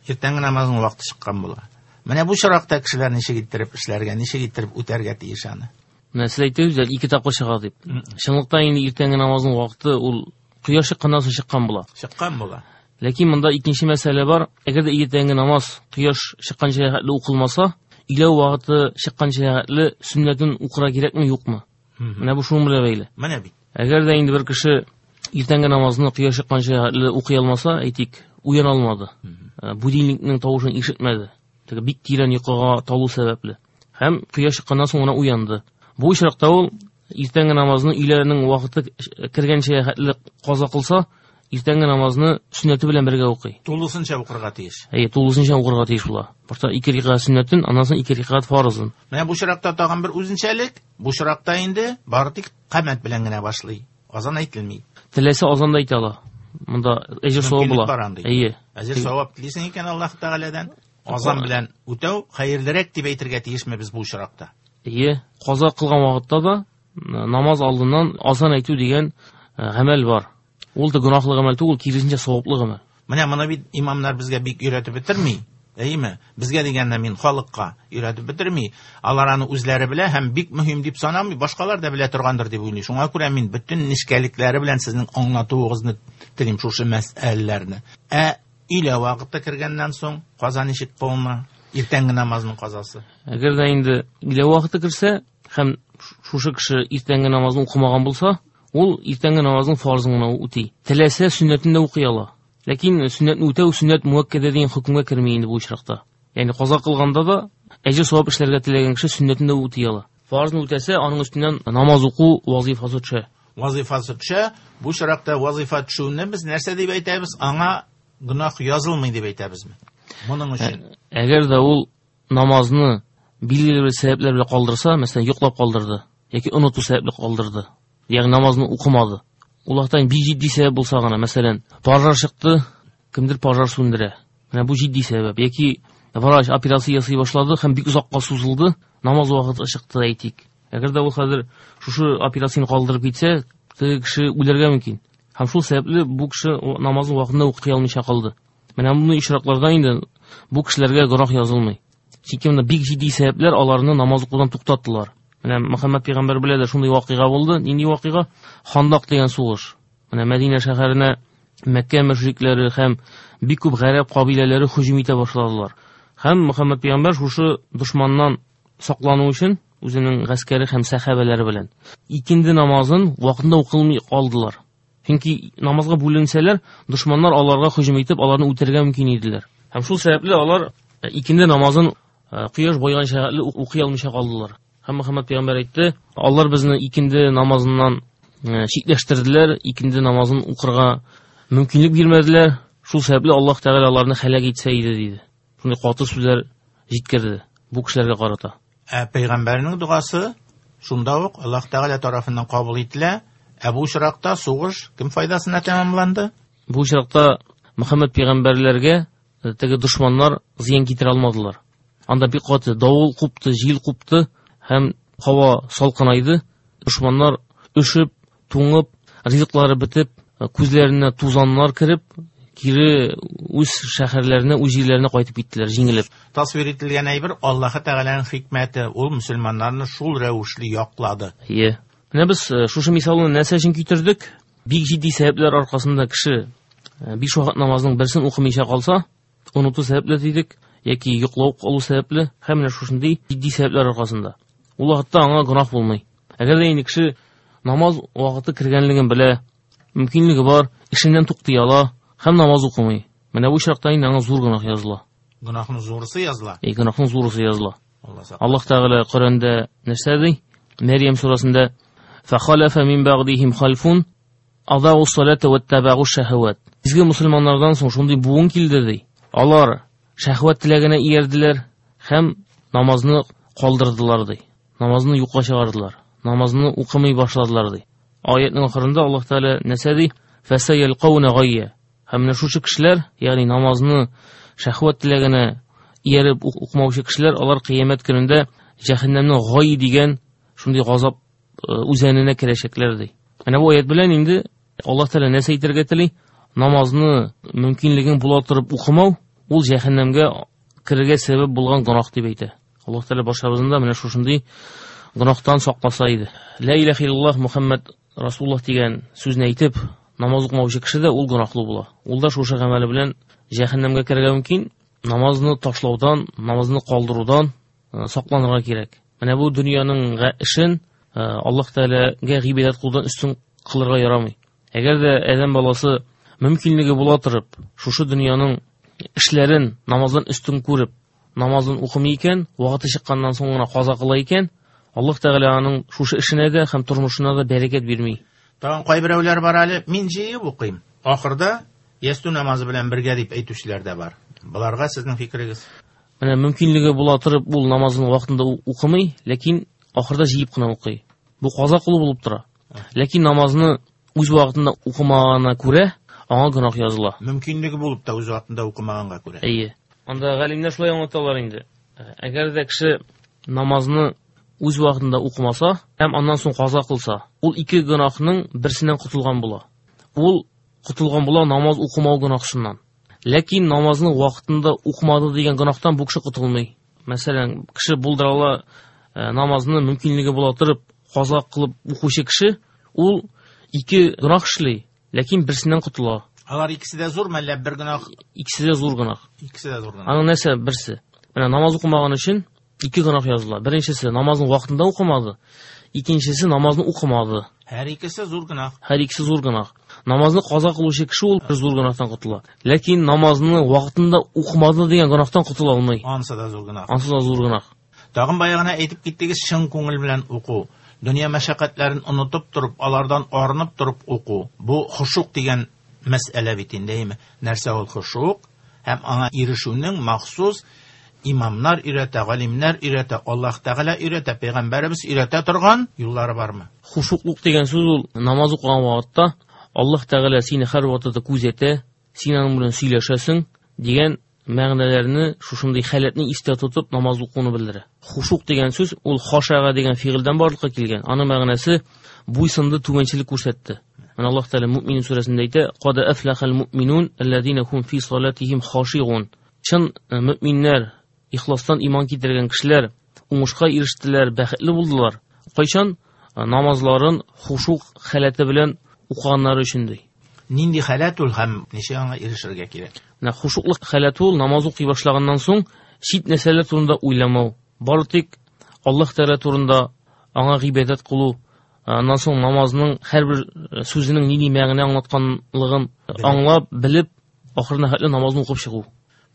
иртәнге намазның вакыты чыккан була. Менә бу очракта кешеләр ничек иттереп эшләргә, ничек иттереп үтәргә тиеш аны? Менә сез әйттегез, ике тапкыр чыга дип. Чынлыкта инде иртәнге намазның вакыты ул кояш чыкканнан соң чыккан була. Чыккан була. Ләкин монда икенче мәсьәлә бар. Әгәр дә иртәнге намаз кояш чыкканча хәтле укылмаса, өйлә вакыты чыкканча хәтле сөннәтен укырга кирәкме, юкмы? Менә бу шуның белән бәйле. Менә бит. Әгәр дә инде бер кеше иртәнге намазны кояш чыкканча хәтле укый алмаса, әйтик, уяна алмады. Будильникның тавышын ишетмәде. Теге бик тирән йокыга талу сәбәпле. Һәм кояш чыкканнан соң гына уянды. Бу очракта ул иртәнге намазны өйләнең вакыты кергәнчә хәтле каза кылса, иртәнге намазны сөннәте белән бергә укый. Тулысынча укырга тиеш. Әйе, тулысынча укырга тиеш була. Башта ике рәкәгать сөннәтен, аннан соң ике рәкәгать фарызын. Менә бу очракта тагын бер үзенчәлек, бу очракта инде бары тик камәт белән генә башлый. Азан әйтелми. Теләсә азан да әйтә ала. Монда әҗер савап була. Әйе. Әҗер савап телисең икән Аллаһ Тәгаләдән, азан белән үтәү хәерлерәк дип әйтергә тиешме без бу очракта? Әйе, каза кылган вакытта да намаз алдыннан азан әйтү дигән гамәл бар. Ул да гөнаһлы гамәл түгел, киресенчә саваплы гамәл. Менә моны бит имамнар безгә бик өйрәтеп бетерми. Әйеме? Безгә дигәндә мин халыкка өйрәтеп бетерми. Алар аны үзләре белә һәм бик мөһим дип санамый, башкалар да белә торгандыр дип уйлый. Шуңа күрә мин бөтен нечкәлекләре белән сезнең аңлатуыгызны телим шушы мәсьәләләрне. Ә өйлә вакыты кергәннән соң каза ничек кылына? Иртәнге намазның казасы. Әгәр дә инде өйлә вакыты керсә һәм шушы кеше иртәнге намазны укымаган булса, ул иртәнге намазның фарызын гына үти. Теләсә сөннәтен дә укый ала. Ләкин сөннәтне үтәү сөннәт муәккәдә дигән хөкемгә керми инде бу очракта. Ягъни каза кылганда да әҗер савап эшләргә теләгән кеше сөннәтен дә үти ала. Фарызны үтәсә, аның өстеннән намаз уку вазифасы төшә. Вазифасы төшә. Бу очракта вазифа төшүне без нәрсә дип әйтәбез? Аңа гөнаһ язылмый дип әйтәбезме? Моның өчен. Әгәр дә ул намазны билгеле бер сәбәпләр белән калдырса, мәсәлән, йоклап калдырды яки оныту сәбәпле калдырды, ягъни намазны укымады. Ул вакытта бик җитди сәбәп булса гына, мәсәлән, пожар чыкты, кемдер пожар сүндерә. Менә бу җитди сәбәп. Яки врач операция ясый башлады һәм бик озакка сузылды, намаз вакыты чыкты әйтик. Әгәр дә ул хәзер шушы операцияне калдырып китсә, теге кеше үләргә мөмкин. Һәм шул сәбәпле бу кеше намазны вакытында укый алмыйча калды. Менә мондый очракларда инде бу кешеләргә гөнаһ язылмый. Чөнки монда бик җитди сәбәпләр аларны намаз укудан туктаттылар. Менә Мөхәммәд пәйгамбәр белән дә шундый вакыйга булды. Нинди вакыйга? Хандак дигән сугыш. Менә Мәдинә шәһәренә Мәккә мөшрикләре һәм бик күп гарәп кабиләләре һөҗүм итә башладылар. Һәм Мөхәммәд пәйгамбәр шушы дошманнан саклану өчен үзенең гаскәре һәм сәхабәләре белән икенде намазын вакытында укылмый калдылар. Чөнки намазга бүленсәләр, дошманнар аларга һөҗүм итеп, аларны үтерергә мөмкин иделәр. Һәм шул сәбәпле алар икенде намазын кояш байганча хәтле укый алмыйча калдылар. Һәм Мөхәммәд пәйгамбәр әйтте, алар безне икенде намазыннан читләштерделәр, икенде намазын укырга мөмкинлек бирмәделәр. Шул сәбәпле Аллаһ Тәгалә аларны һәлак итсә иде диде. Шундый каты сүзләр җиткерде бу кешеләргә карата. Ә пәйгамбәрнең догасы шунда ук Аллаһ Тәгалә тарафыннан кабул ителә. Ә бу очракта сугыш кем файдасына тәмамланды? Бу очракта Мөхәммәд пәйгамбәрләргә теге дошманнар зыян китерә алмадылар. Анда бик каты давыл купты, җил купты һәм һава салкынайды. Дошманнар өшеп, туңып, ризыклары бетеп, күзләренә тузаннар кереп, кире үз шәһәрләренә, үз җирләренә кайтып киттеләр, җиңелеп. Тасвир ителгән әйбер Аллаһы Тәгаләнең хикмәте, ул мөселманнарны шул рәвешле яклады. Ие. Менә без шушы мисалны нәрсә өчен китердек? Бик җитди сәбәпләр аркасында кеше биш вакыт намазның берсен укымыйча калса, оныту сәбәпле дидек, яки йоклау калу сәбәпле, һәм менә шушындый җитди сәбәпләр аркасында. Ул вакытта аңа гөнаһ булмый. Әгәр дә инде кеше намаз вакыты кергәнлеген белә, мөмкинлеге бар, эшеннән туктый ала һәм намаз укымый. Менә бу очракта инде аңа зур гөнаһ языла. Гөнаһның зурысы языла. И гөнаһның зурысы языла. Аллаһ Тәгалә Коръәндә нәрсә ди? Мәрьям сүрәсендә: "Фахалафа мин бәгъдихим халфун адау салата ваттабагу шаһават". Изге мусульманнардан соң шундый буын килде ди. Алар шәһвәт теләгенә иярделәр һәм намазны калдырдылар ди. Намазны юкка чыгардылар. Намазны укымый башладылар ди. Аятның ахырында Аллаһ Тәгалә нәрсә ди? Фасаялкауна гайя. Һәм менә шушы кешеләр, ягъни намазны шәһвәт теләгенә ияреп укымаучы кешеләр, алар кыямәт көнендә җәһәннәмнең гай дигән шундый газап үзәненә керәчәкләр ди. Менә бу аят белән инде Аллаһ Тәгалә нәрсә әйтергә тели? Намазны мөмкинлегең була торып укымау, ул җәһәннәмгә керергә сәбәп булган гөнаһ дип әйтә. Аллаһ Тәгалә барчабызны да менә шушындый гөнаһтан сакласа иде. Ла илаһа иллаллаһ Мухаммад Расулуллаһ дигән сүзне әйтеп, намаз укымаучы кеше дә ул гөнаһлы була. Ул да шушы гамәле белән җәһәннәмгә керергә мөмкин. Намазны ташлаудан, намазны калдырудан сакланырга кирәк. Менә бу дөньяның эшен Аллаһ Тәгаләгә гыйбадәт кылудан өстен кылырга ярамый. Әгәр дә адәм баласы мөмкинлеге була торып, шушы дөньяның эшләрен намаздан өстен күреп, намазын укымый икән, вакыты чыкканнан соң гына каза кыла икән, Аллаһ Тәгалә аның шушы эшенә дә һәм тормышына да бәрәкәт бирми. Тагын кайберәүләр бар әле, мин җыеп укыйм. Ахырда ястү намазы белән бергә дип әйтүчеләр дә бар. Боларга сезнең фикерегез? Менә мөмкинлеге була торып, ул намазын вакытында укымый, ләкин ахырда җыеп кына укый. Бу каза кылу булып тора. Ләкин намазны үз вакытында укымаганына күрә, аңа гөнаһ языла. Мөмкинлеге булып та үз вакытында укымаганга күрә. Әйе. Анда галимнәр шулай аңлаталар инде. Әгәр дә кеше намазны үз вакытында укымаса һәм аннан соң каза кылса, ул ике гөнаһның берсеннән котылган була. Ул котылган була намаз укымау гөнаһсыннан. Ләкин намазны вакытында укымады дигән гөнаһтан бу кеше котылмый. Мәсәлән, кеше булдыра ала намазны мөмкинлеге була торып каза кылып укучы кеше, ул ике гөнаһ эшли, ләкин берсеннән котыла. Алар икесе дә зур мәллә бер гөнаһ? Икесе дә зур гөнаһ. Икесе дә зур гөнаһ. Аның нәрсә берсе? Менә намаз укымаган өчен ике гөнаһ языла. Беренчесе намазны вакытында укымады, икенчесе намазны укымады. Һәр икесе зур гөнаһ. Һәр икесе зур гөнаһ. Намазны каза кылучы кеше ул бер зур гөнаһтан котыла. Ләкин намазны вакытында укымады дигән гөнаһтан котыла алмый. Ансы да зур гөнаһ. Ансы да зур гөнаһ. Тагын баягына әйтеп киттегез, чын күңел белән уку. Дөнья мәшәкатьләрен онытып торып, алардан арынып торып уку. Бу хушук дигән мәсьәлә бит инде, әйме? Нәрсә ул хушук? Һәм аңа ирешүнең махсус имамнар өйрәтә, галимнәр өйрәтә, Аллаһ Тәгалә өйрәтә, пәйгамбәребез өйрәтә торган юллары бармы? Хушуклык дигән сүз ул намаз укыган вакытта Аллаһ Тәгалә сине һәр вакытта күзәтә, син аның белән сөйләшәсең дигән мәгънәләрне, шушындый халәтне истә тотып намаз укуны белдерә. Хушук дигән сүз ул хашага дигән фигыльдән барлыкка килгән. Аның мәгънәсе буйсынды, түбәнчелек күрсәтте. Менә Аллаһ Тәгалә Муъминун сүрәсендә әйтә: "Кад афлахал муъминун аллазина хум фи салатихим хашигун". Чын мөминнәр, ихластан иман китергән кешеләр уңышка ирештеләр, бәхетле булдылар. Кайчан намазларын хушук халәте белән укыганнары өчен ди. Нинди халәт ул һәм ничек аңа ирешергә кирәк? Менә хушуклык халәте ул намаз укый башлаганнан соң чит нәрсәләр турында уйламау, бары тик Аллаһ Тәгалә турында аңа гыйбадәт кылу, аннан соң намазның һәрбер сүзенең нинди мәгънә аңлатканлыгын аңлап, белеп, ахырына хәтле намазны укып чыгу.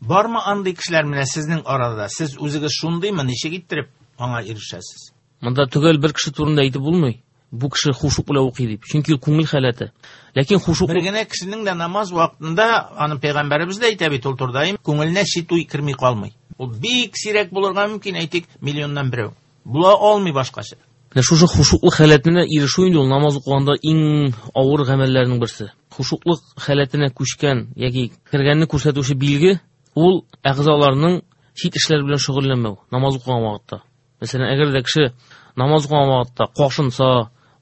Бармы андый кешеләр менә сезнең арада? Сез үзегез шундыймы, ничек иттереп аңа ирешәсез? Монда төгәл бер кеше турында әйтеп булмый. Бу кеше хушук белән укый дип. Чөнки ул күңел халәте. Ләкин хушук Бер генә кешенең дә намаз вакытында, аны пәйгамбәребез дә әйтә бит ул турыда, күңеленә чит уй керми калмый. Ул бик сирәк булырга мөмкин, әйтик, миллионнан берәү. Була алмый башкача. Менә шушы хушуклык халәтенә ирешү инде ул намаз укыганда иң авыр гамәлләрнең берсе. Хушуклык халәтенә күчкән яки кергәнне күрсәтүче билге ул әгъзаларның чит эшләр белән шөгыльләнмәү намаз укыган вакытта. Мәсәлән, әгәр дә кеше намаз укыган вакытта кашынса,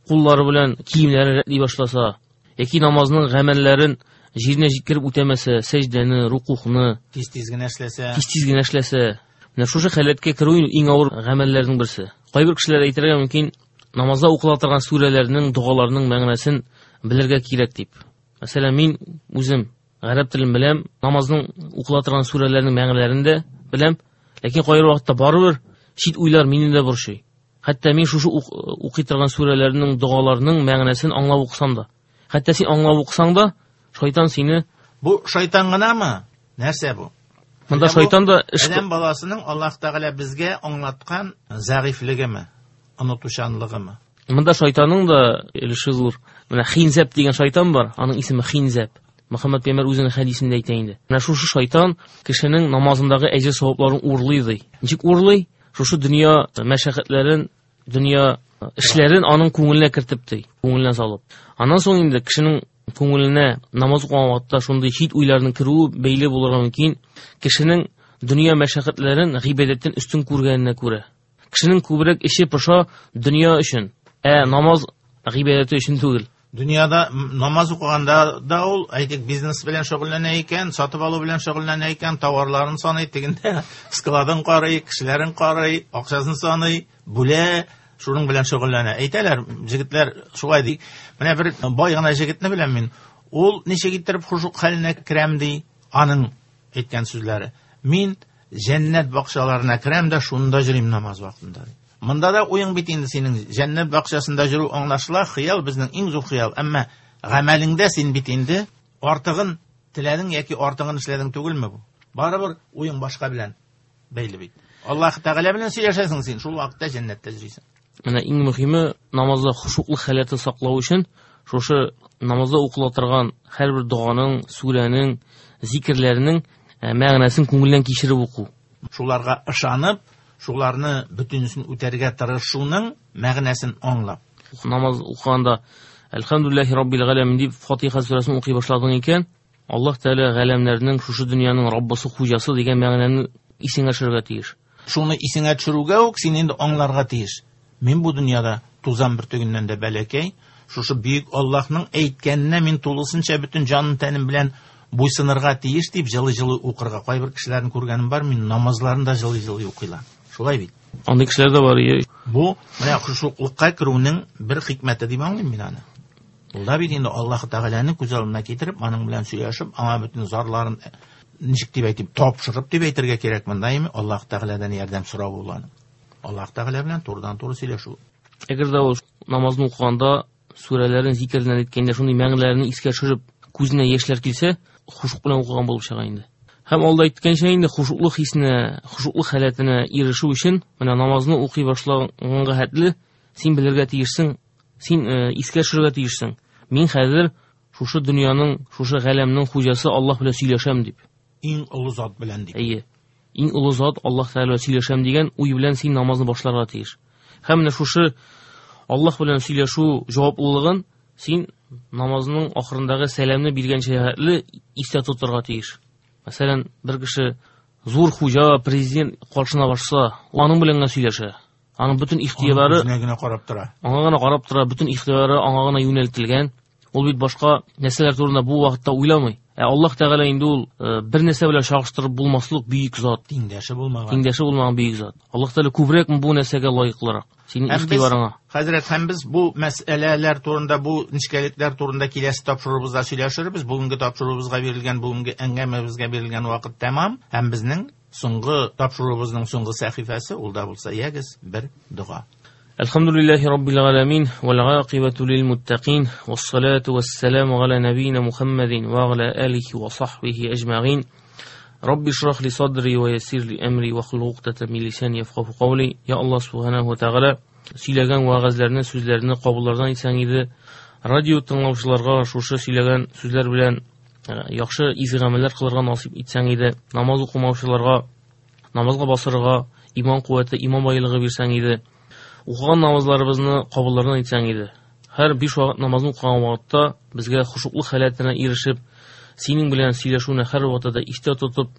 куллары белән киемнәрен рәтли башласа, яки намазның гамәлләрен җиренә җиткереп үтәмәсә, сәҗдәне, рукухны Тиз-тиз генә эшләсә, тиз-тиз генә эшләсә, менә шушы халәткә керү иң авыр гамәлләрнең берсе. Кайбер кешеләр әйтергә мөмкин, намазда укыла торган сүрәләрнең, догаларның мәгънәсен белергә кирәк дип. Мәсәлән, мин үзем гарәп телен беләм, намазның укыла торган сүрәләрнең мәгънәләрен дә беләм, ләкин кайбер вакытта барыбер чит уйлар мине дә борчый. Хәтта мин шушы укый торган сүрәләрнең, догаларның мәгънәсен аңлап укысам да. Хәтта син аңлап укысаң да, шайтан сине Бу шайтан гынамы? Нәрсә бу? Монда шайтан да эш Адәм баласының Аллаһ Тәгалә безгә аңлаткан зәгыйфьлегеме, онытучанлыгымы? Монда шайтанның да өлеше зур. Менә Хинзәп дигән шайтан бар, аның исеме Хинзәп. Мөхәммәд пәйгамбәр үзенең хәдисендә әйтә инде. Менә шушы шайтан кешенең намазындагы әҗер савапларын урлый ди. Ничек урлый? Шушы дөнья мәшәкатьләрен, дөнья эшләрен аның күңеленә кертеп ди, күңеленә салып. Аннан соң инде кешенең күңеленә намаз укыган вакытта шундый чит уйларның керүе бәйле булырга мөмкин. Кешенең дөнья мәшәкатьләрен гыйбадәттән өстен күргәненә күрә. Кешенең күбрәк эше поша дөнья өчен, ә намаз гыйбадәте өчен түгел. Дөньяда намаз укыганда да ул, әйтик, бизнес белән шөгыльләнә икән, сатып алу белән шөгыльләнә икән, товарларын саный, тегендә складын карый, кешеләрен карый, акчасын саный, бүлә, шуның белән шөгыльләнә. Әйтәләр, җегетләр шулай ди. Менә бер бай гына җегетне беләм мин. Ул ничек иттереп хушук хәленә керәм ди, аның әйткән сүзләре. Мин җәннәт бакчаларына керәм дә шунда йөрим намаз вакытында. Монда да уең бит инде синең җәннәт бакчасында йөрү аңлашыла, хыял безнең иң зур хыял. Әмма гамәлеңдә син бит инде артыгын теләдең яки артыгын эшләдең түгелме бу? Барыбер уең башка белән бәйле бит. Аллаһ Тәгалә белән сөйләшәсең син, шул вакытта җәннәттә йөрисең. Менә иң мөһиме намазда хушуклы халәтен саклау өчен шушы намазда укыла торган һәрбер доганың, сүрәнең, зикерләрнең мәгънәсен күңелдән кичереп уку. Шуларга ышанып, шуларны бөтенесен үтәргә тырышуның мәгънәсен аңлап. Намаз укыганда Әлхәмдүлилләһи раббил галәмин дип Фатиха сүрәсен укый башладың икән, Аллаһ Тәгалә галәмнәрнең, шушы дөньяның Раббысы, хуҗасы дигән мәгънәне исеңә төшерергә тиеш. Шуны исеңә төшерүгә үк син инде аңларга тиеш. Мин бу дөньяда тузан бөртегеннән дә бәләкәй, шушы бөек Аллаһның әйткәненә мин тулысынча бөтен җаным тәнем белән буйсынырга тиеш дип җылы-җылы укырга. Кайбер кешеләрне күргәнем бар, мин намазларын да җылы-җылы укыйлар. Шулай бит. Андый кешеләр дә бар. Бу менә хушуклыкка керүнең бер хикмәте дип аңлыйм мин аны. Ул да бит инде Аллаһ Тәгаләне күз алдына китереп, аның белән сөйләшеп, аңа бөтен зарларын ничек дип әйтим, тапшырып дип әйтергә кирәк монда инде Аллаһ Тәгаләдән ярдәм сорау ул аның. Аллаһ Тәгалә белән турыдан-туры сөйләшү. Әгәр дә ул намазны укыганда сүрәләрен, зикерләрен әйткәндә шундый мәгънәләрне искә төшереп, күзенә яшьләр килсә, хушук белән укыган булып чыга инде. Һәм алда әйткәнчә инде хушуклык хисенә, хушуклык халәтенә ирешү өчен менә намазны укый башлаганга хәтле син белергә тиешсең, син искә төшерергә тиешсең. Мин хәзер шушы дөньяның, шушы галәмнең хуҗасы Аллаһ белән сөйләшәм дип. Иң олы зат белән дип. Әйе. Иң олы зат Аллаһ Тәгалә белән сөйләшәм дигән уй белән син намазны башларга тиеш. Һәм менә шушы Аллаһ белән сөйләшү җаваплылыгын син намазның ахырындагы сәламне биргәнчә хәтле истә тотарга тиеш. Мәсәлән, бер кеше зур хуҗа, президент каршына барса, аның белән генә сөйләшә. Аның бөтен ихтыяры үзенә генә карап тора. Аңа гына карап тора, бөтен ихтыяры аңа гына юнәлтелгән. Ул бит башка нәрсәләр турында бу вакытта уйламый. Ә Аллаһ Тәгалә инде ул бер нәрсә белән чагыштырып булмаслык бөек зат. Тиңдәше булмаган. Тиңдәше булмаган бөек зат. Аллаһ Тәгалә күбрәк бу нәрсәгә лаеклырак. Синең ихтыярыңа. Хәзрәт, һәм без бу мәсьәләләр турында, бу нечкәлекләр турында киләсе тапшыруыбызда сөйләшербез. Бүгенге тапшыруыбызга бирелгән, бүгенге әңгәмәбезгә бирелгән вакыт тәмам. Һәм безнең соңгы тапшыруыбызның соңгы сәхифәсе ул да булса ягез бер дога. Әлхәмдүлилләһи раббил галәмин вәл гақибату лил муттақин вассалату вассаламу аля набийна Мухаммадин ва аля алихи ва сахбихи ажмаин. Рабби шрах ли садри ва яссир ли амри ва хлул уқдатан мин лисани яфқаһу қавли. Я Аллаһ субханаһу ва тааля, Сөйләгән вәгазьләрне, сүзләрне кабуллардан итсәң иде. Радио тыңлаучыларга шушы сөйләгән сүзләр белән яхшы изге гамәлләр кылырга насыйп итсәң иде. Намаз укымаучыларга намазга басырга иман куәте, иман байлыгы бирсәң иде. Укыган намазларыбызны кабуллардан итсәң иде. Һәр 5 вакыт намазны укыган вакытта безгә хушуклы халәтенә ирешеп, синең белән сөйләшүне һәр вакытта да истә тотып,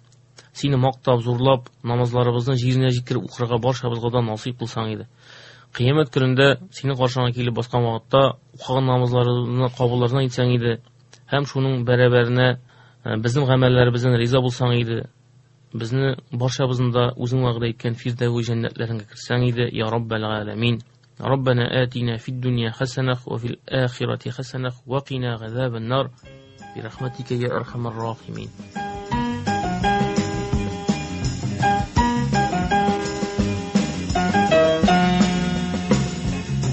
сине мактап, зурлап, намазларыбызны җиренә җиткереп укырга барчабызга да насыйп кылсаң иде. Кыямәт көнендә синең каршыңа килеп баскан вакытта укыган намазларыбызны кабуллардан итсәң иде һәм шуның бәрабәренә безнең гамәлләребездән риза булсаң иде. Безне барчабызны да үзең вәгъдә иткән Фирдәүс җәннәтләреңә керсәң иде, я Раббәл галәмин. ربنا آتنا في الدنيا حسنة وفي الآخرة حسنة وقنا عذاب النار برحمتك يا أرحم الراحمين.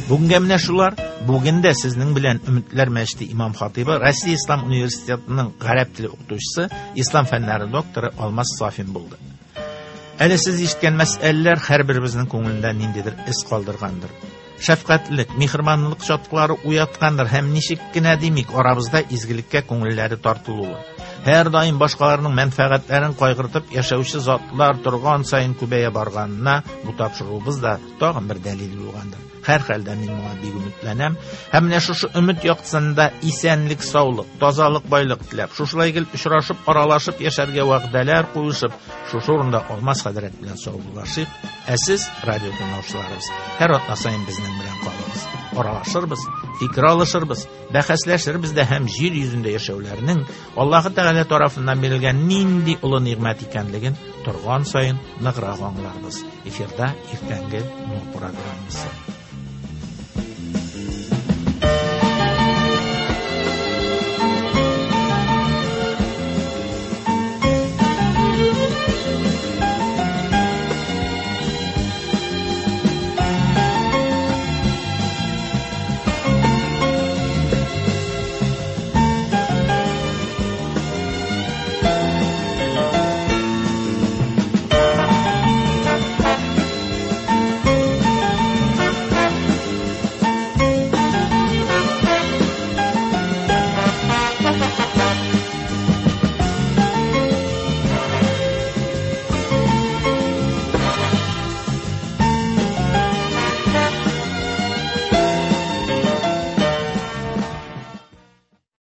Бүгенгә менә шулар. Бүген дә сезнең белән Өметләр мәчете имам хатыйбы, Россия Ислам университетының гарәп теле укытучысы, ислам фәннәре докторы Алмаз Сафин булды. Әле сез ишеткән мәсьәләләр һәрберебезнең күңелендә ниндидер эз калдыргандыр. Шәфкатьлек, миһербанлылык чаткылары уяткандыр һәм ничек кенә димик, арабызда изгелеккә күңелләре тартылуы. Һәр даим башкаларның мәнфәгатьләрен кайгыртып яшәүче затлар торган саен күбәя барганына бу тапшыруыбыз да тагын бер дәлил булгандыр. Һәр хәлдә мин моңа бик өметләнәм. Һәм менә шушы өмет яктысында исәнлек, саулык, тазалык, байлык теләп, шушылай гел очрашып, аралашып яшәргә вәгъдәләр куешып, шушы урында Алмаз хәзрәт белән саубуллашыйк. Ә сез, радио тыңлаучыларыбыз, һәр атна саен безнең белән калыгыз. Аралашырбыз, фикер алышырбыз, бәхәсләшербез дә һәм җир йөзендә яшәүләрнең Аллаһы Тәгалә тарафыннан бирелгән нинди олы нигъмәт икәнлеген торган саен ныграк аңларбыз. Эфирда иртәнге Нур программасы.